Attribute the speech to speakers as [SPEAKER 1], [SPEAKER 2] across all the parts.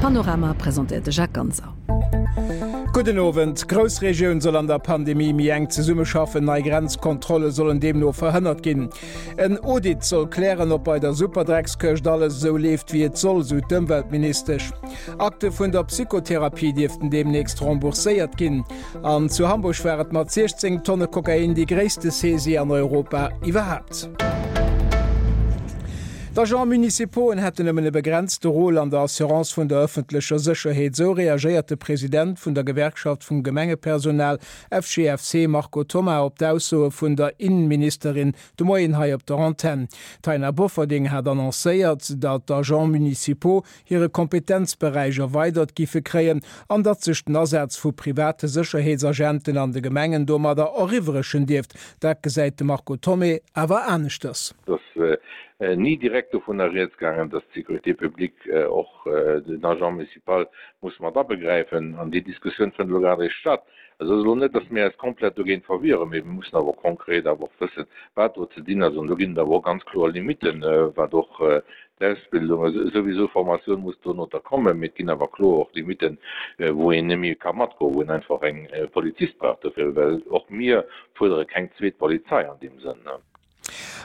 [SPEAKER 1] Panorama presentéiert de Jacques Ganser.
[SPEAKER 2] Gudden Owend. D'Groussregioun soll an der Pandemie méi enk zesummeschaffen. Nei Grenzkontrolle sollen deemno verhënnert ginn. En Audit soll klären, ob bei der Superdreckskëscht alles esou leeft, wéi et soll, sou d'Ëmweltministesch. Akte vun der Psychotherapie dierften deemnächst rembourséiert ginn. An zu Hamburg war et mat 16 Tonne Kokain déi gréisste Saisie an Europa iwwerhaapt. D'Agents municipauxen hätten nëmmen e begrenzte Rôle an der Assurance vun der ëffentlecher Sécherheet, esou reagéiert de President vun der Gewerkschaft vum Gemengepersonal FGFC Marco Thoma op d'Aussoe vun der Innenministerin de Moien hei op der Antenn. D'Taina Bofferding hat annoncéiert, datt d'Agents municipaux hire Kompetenzberäich erweidert giffe kréien an datt sech den Asaz vu private Sécherheetsagenten an de Gemengen domadder eriwwrechen dierft. Dat gesäit de Marco Thomé awer aneschters.
[SPEAKER 3] Et ass ni direkt dovunner rieds gaangen, datt d'Sécurité publique och den Agent municipal muss mat abegräifen. An déi Diskussioun fënnt elo grad eréischt statt. Et ass elo net, datt mir eis komplett dogéint verwieren, mee mir mussen awer och konkret awer och wëssen, wat do ze dinn ass. An do ginn et awer och ganz kloer Limitten, wat och d'Ausbildung, souwisou Formatioun muss dono da kommen, mee et ginn awer kloer och Limitten, wou een net méi ka matgoen, wou een einfach eng Polizist brauch dofir, well och mir fuerdere keng zweet Polizei an deem Sënn.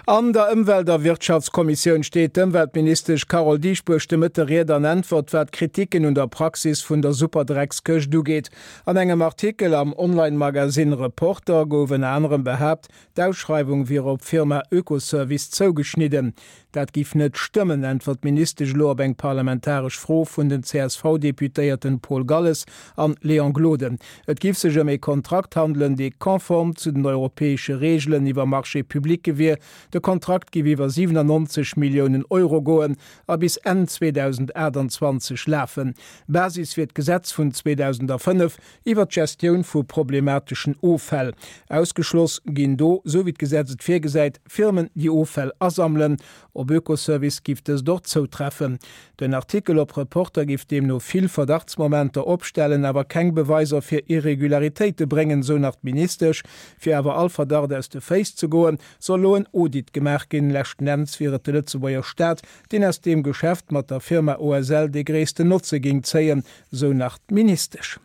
[SPEAKER 2] An der Ëmwelt a Wirtschaftskommissioun steet d'Ëmweltministesch Carole Dieschbourg de Mëtte Ried an Äntwert, wat d'Kritiken un der Praxis vun der Superdreckskëscht ugeet. An engem Artikel am Online-Magasinn Reporter gouf ënner anerem behaapt, d'Ausschreiwung wier op d'Firma Oekoservice zougeschnidden. Dat giff net stëmmen, äntwert d'Ministesch elo op eng parlamentaresch Fro vun den CSV-Deputéierten Paul Galles an Léon Gloden. Et giff sech ëm ee Kontrakt handelen, dee konform zu den europäesche Reegelen iwwer Marchés publics wier. De Kontrakt giff iwwer 97 Milliounen Euro goen a bis Enn 2028 lafen. Basis wier d'Gesetz vun 2005 iwwer d'Gestioun vu problemateschen Offäll. Ausgeschloss ginn do, sou wéi d'Gesetz et virgesäit, Firmen, déi Offäll asammelen. Op Oekoservice giff dëst och zoutreffen. Den Artikel op Reporter giff deemno vill Verdachtsmomenter opstellen, awer keng Beweiser fir Irregularitéite bréngen, sou nach d'Ministesch. Fir awer all Verdacht aus de Féiss ze goen, soll elo en Audit gemaach ginn. Leschten Enns wier et de Lëtzebuerger Staat, deen aus deem Geschäft mat der Firma OSL dee gréissten Notze géing zéien, sou nach d'Ministesch.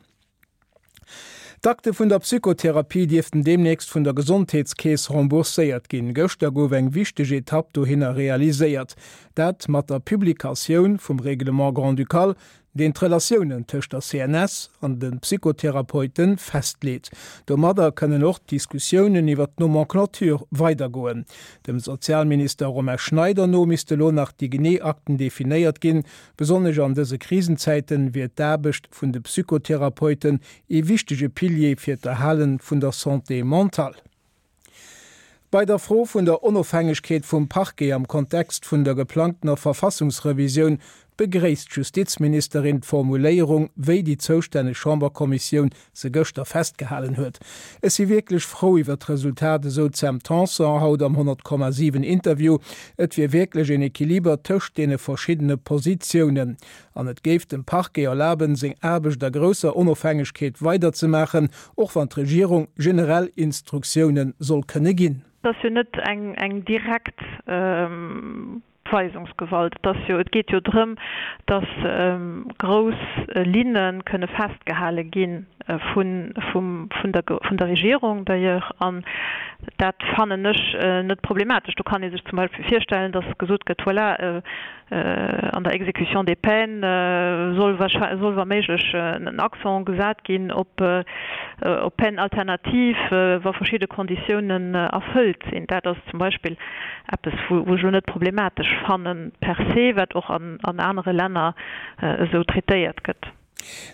[SPEAKER 2] D'Akte vun der Psychotherapie dierften deemnächst vun der Gesondheetskeess rembourséiert ginn. Gëschter gouf eng wichteg Etapp dohinner realiséiert. Dat mat der Publikatioun vum Règlement grand-ducal, deen d'Relatiounen tëscht der CNS an de Psychotherapeute festleet. Domadder kënnen och d'Diskussiounen iwwer d'Nomenclature weidergoen. Dem Sozialminister Romain Schneider no misste lo nach déi genee Akten definéiert ginn. Besonnesch an dëse Krisenzäiten wier d'Aarbecht vun de Psychotherapeuten ee wichtege Pilier fir d'Erhale vun der Santé mentale. Bei der Fro vun der Onofhängegkeet vum Parquet am Kontext vun der geplangtener Verfassungsrevisioun begréisst d'Justizministerin d'Formuléierung, wéi déi zoustänneg Chamberkommissioun se gëschter festgehalen huet. Ech si wierklech frou iwwer d'Resultat, esou d'Sam Tanson haut am 100,7 Interview. Et wier wierklech een Equiliber tëscht deene verschiddene Positiounen. An et géif dem Parquet erlaben, seng Aarbecht a grousser Onofhängegkeet weiderzemaachen, och wann d'Regierung generell Instruktioune soll kënne ginn.
[SPEAKER 4] Et ass jo net eng direkt Weisungsgewalt. Et ass jo, et geet jo drëm, datt grouss Linne kënne festgehale gi vun, vun der, vun der Regierung d'ailleurs. An dat fannen ech net problematesch. Do kann ee sech zum Beispill virstellen, datt gesot gëtt, voilà, An der Exécution des peines soll soll wa méiglech en Accent gesat ginn op op Peines alternatives, wa verschidde Konditiounen erfëllt sinn. Dat ass zum Beispill eppes, wou ech elo net problematesch fannen per se, wat och an anere Länner esou traitéiert gëtt.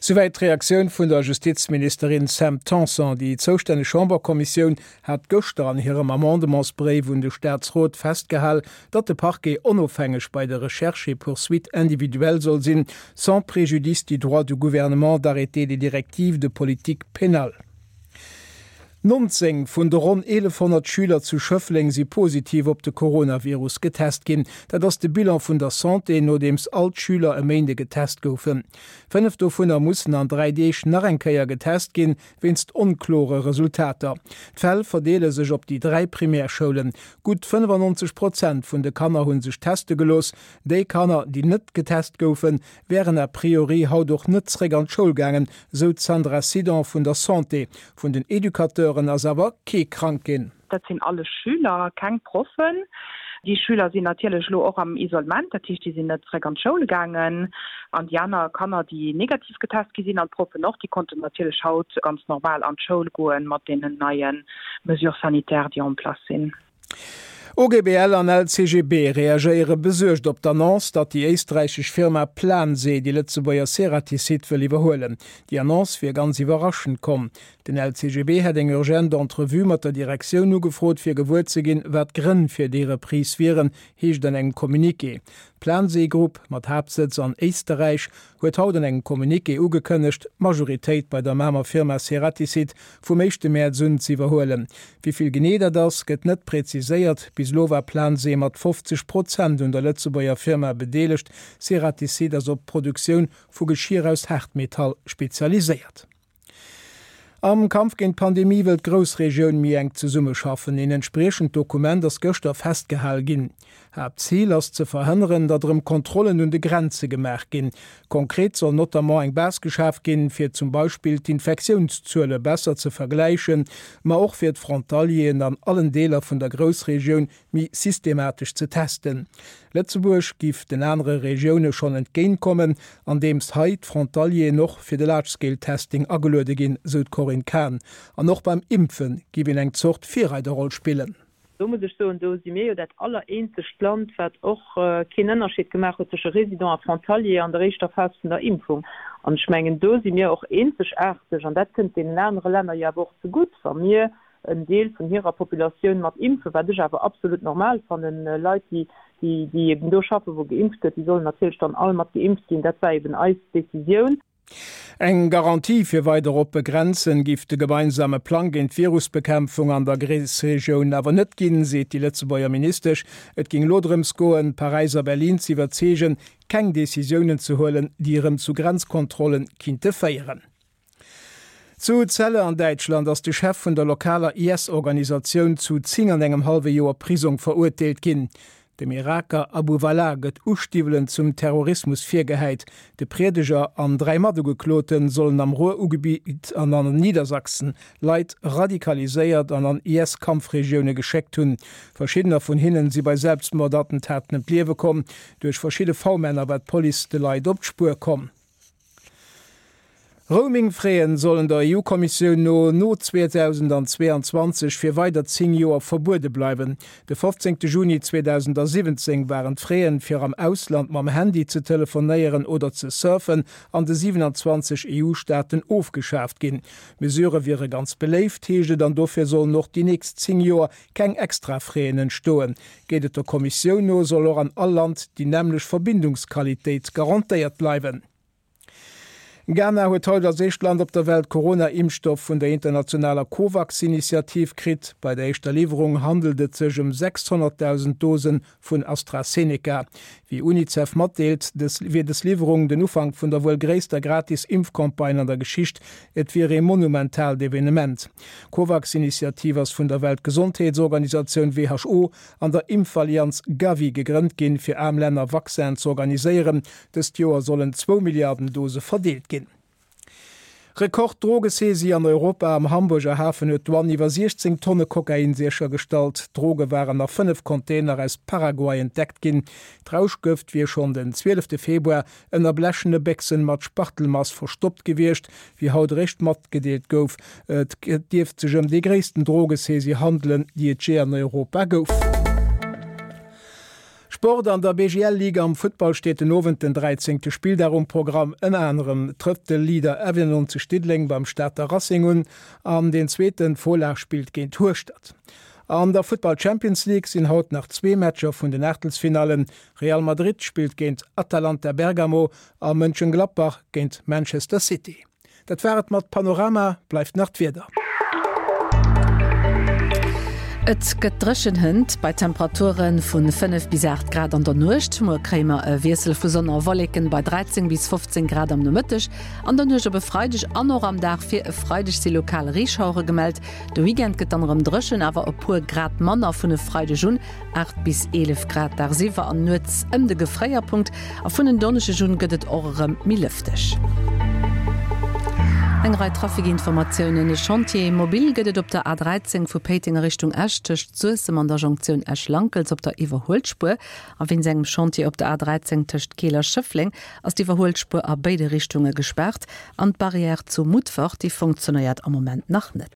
[SPEAKER 2] Souwäit d'Reaktioun vun der Justizministerin Sam Tanson. Déi zoustänneg Chamberkommissioun hat gëschter an hirem Amendementsbréif un de Staatsrot festgehal, datt de Parquet onofhängeg bei de Recherches et poursuites individuelles soll sinn, sans préjudice du droit du gouvernement d'arrêter des directives de politique pénale. 19 vun de ronn 1.100 Schüler zu Schëffleng si positiv op de Coronavirus getest ginn. Dat ass de Bilan vun der Santé, nodeems all d'Schüler e Méinde getest goufen. 5 dovunner mussen an 3 Deeg nach eng Kéier getest ginn, wéinst onklore Resultater. D'Fäll verdeele sech op déi 3 Primärschoulen. Gutt 95 Prozent vun de Kanner hu sech teste gelooss. Déi Kanner, déi net getest goufen, wären a priori haut och net zréck an d'Schoul gaangen, sou d'Sandra Sidon vun der Santé. Vun den Educateuren ass awer kee krank ginn.
[SPEAKER 5] Dat sinn alles Schüler, keng Proffen. Déi Schüler sinn natierlech elo och am Isolement, dat heescht, déi sinn net zréck an d'Schoul gaangen. An déi aner Kanner, déi negativ getest gi sinn, an d'Proffen och, déi konnten natierlech haut ganz normal an d'Schoul goen, mat deenen neie Mesures sanitaires, déi en place sinn.
[SPEAKER 2] OGBL an LCGB reagéiere besuergt op d'Annonce, datt déi éisträichesch Firma Plansee déi Lëtzebuerger Ceratizit wëll iwwerhuelen. Déi Annonce wier ganz iwwerraschend komm. Den LCGB hätt eng urgent Entrevue mat der Direktioun ugefrot, fir gewuer ze ginn, wat d'Grënn fir déi Reprise wieren, heescht an engem Communiqué. D'Plansee Group, mat Haaptsëtz an Éisterräich, huet haut an engem Communiqué ugekënnegt, d'Majoritéit bei der Mamer Firma Ceratizit vum éischte Mäerz un z'iwwerhuelen. Wéi vill genee dat ass, gëtt net präziséiert. Bis elo war Plansee mat 50 Prozent un der Lëtzebuerger Firma bedeelegt. Ceratizit ass op d'Produktioun vu Geschier aus Haartmetall spezialiséiert. Am Kampf géint d'Pandemie wëll d'Groussregioun méi enk zesummeschaffen. Een entspriechend Dokument ass gëschter festgehal ginn. Haaptzil ass ze verhënneren, datt erëm Kontrollen un de Grenze gemaach ginn. Konkret soll notamment eng Base geschaf ginn, fir zum Beispill d'Infektiounszuele besser ze vergläichen, ma och fir d'Frontalieren an allen Deeler vun der Groussregioun méi systematesch ze testen. Lëtzebuerg giff den anere Regioune schonn entgéint kommen, andeems hei d'Frontalieren och fir de Large-Scale-Testing ageluede ginn, sou d'Corinne Cahen. An och beim Impfe giff een eng Zort Virreiderroll spillen.
[SPEAKER 6] Do muss ech soen, do si mir jo dat allereenzegt Land, wat och keen Ënnerscheed gemaach huet tësche Résident a Frontalier an der éischter Phas vun der Impfung. An ech mengen, do si mir och eenzegaarteg, an dat kënnt deenen anere Länner jo awer och zegutt, wa mir en Deel vun hirer Populatioun mat impfen, wat ech awer absolut normal fannen. Leit, déi, déi eben do schaffen, wou geimpft gëtt, déi sollen natierlech dann all mat geimpft ginn. Dat war eben eis Décisioun.
[SPEAKER 2] Eng Garantie fir weider oppe Grenzen giff de gemeinsame Plang géint d'Virusbekämpfung an der Gréissregioun awer net ginn, seet déi Lëtzebuerger Ministesch. Et géing elo drëms goen, Paräis a Berlin z'iwwerzeegen, keng Decisiounen ze huelen, déi erëm zu Grenzkontrollen kinnte féieren. Zu Celle an Däitschland ass de Chef vun der lokaler IS-Organisatioun zu 10 an engem hallwe Joer Prisong verurteelt ginn. Dem Iraker Abu Walaa gëtt Ustiwwelen zum Terrorismus virgehäit. De Priedeger an 3 Matugeklote sollen am Ruhr-Ugebitt an an Niedersachsen Leit radikaliséiert an an IS-Kampfregioune geschéckt hunn. Verschiddener vun hinnen si bei Selbstmordattentaten ëm d'Liewe komm. Duerch verschidde V-Männer war d'Police de Leit op d'Spuer komm. Roaming-Fräen sollen der EU-Kommissioun no no 2022 fir weider 10 Joer verbuede bleiwen. De 15 Juni 2017 waren d'Fraien, fir am Ausland mam Handy ze telefonéieren oder ze surfen, an de 27 EU-Staaten ofgeschaaft ginn. D'Mesure wiere ganz beléift, heescht et, an dofir sollen och déi nächst 10 Joer keng extra Fräen entstoen. Geet et der Kommissioun no, soll och an all Land déi nämmlecht Verbindungsqualitéit garantéiert bleiwen. Ghana huet haut als éischt Land op der Welt Corona-Impfstoff vun der internationaler Covax-Initiativ kritt. Bei der éischter Liwwerung handelt et sech ëm 600.000 Dose vun AstraZeneca. Wéi Unicef matdeelt, wier dës Liwwerung den Ufank vun der wuel gréisster gratis Impfcampagne an der Geschicht. Et wier ee monumentaalt Evenement. D'Covax-Initiativ ass vun der Weltgesondheetsorganisatioun, who, an der Impfallianz Gavi gegrënnt ginn, fir aarm Länner Vaccinen z'organiséieren. Dëst Joer sollen zwou Milliarden Dose verdeelt ginn. Rekord-Drogesaisie an Europa, Am Hamburger Hafen huet d'Douane iwwer 16 Tonne Kokain séchergestallt. D'Droge waren a 5 Container aus Paraguay entdeckt ginn. D'Rauschgëft wier schonn den 12 Februar ënner blechene Béchsen mat Spachtelmass verstoppt gewiescht, wéi haut eréischt matgedeelt gouf. Et dierft sech ëm déi gréissten Drogesaisie handelen, déi et jee an Europa gouf. Sport, An der BGL-Ligue am Futtball steet den Owend den 13. Spilldag um Programm. Ënner anerem trëfft de Leader 91 Diddeleng beim Stater Racing un an deen zweeten Fola spillt géint Hueschtert. An der Futtball Champions League sinn haut nach zwee Matcher vun den Aachtelsfinallen. Real Madrid spillt géint Atalanta Bergamo a
[SPEAKER 1] Et gëtt dréchen hënt bei Temperature vu 5 bis 8 Grad an der Nuecht. Muer kréie mer e Wiessel vu Sonn a Wolleken bei 13 bis 15 Grad am Nomëtteg. An der Nuecht op e Freideg an och am Dag fir e Freideg si lokal Reeschauere gemellt. De Weekend gëtt dann erëm dréchen, awer e puer Grad manner vun e Freideg un, 8 bis 11 Grad dagsiwwer an nuets ëm de Gefréierpunkt. A vun en Donneschdeg un gëtt et och erëm méi lëfteg. Eng Rei Trafikinformatiounen, E Chantier mobile gëtt et op der A13 vu Péiteng a Richtung Esch tëscht Suessem an der Jonktioun Esch-Lankels op der Iwwerhuelspuer. A wéinst engem Chantier op der A13 tëscht Keel a Schëffleng ass d'Iwwerhuelspuer a béide Richtunge gespaart. An d'Barrière zu Mutfert, déi funktionéiert am Moment nach net.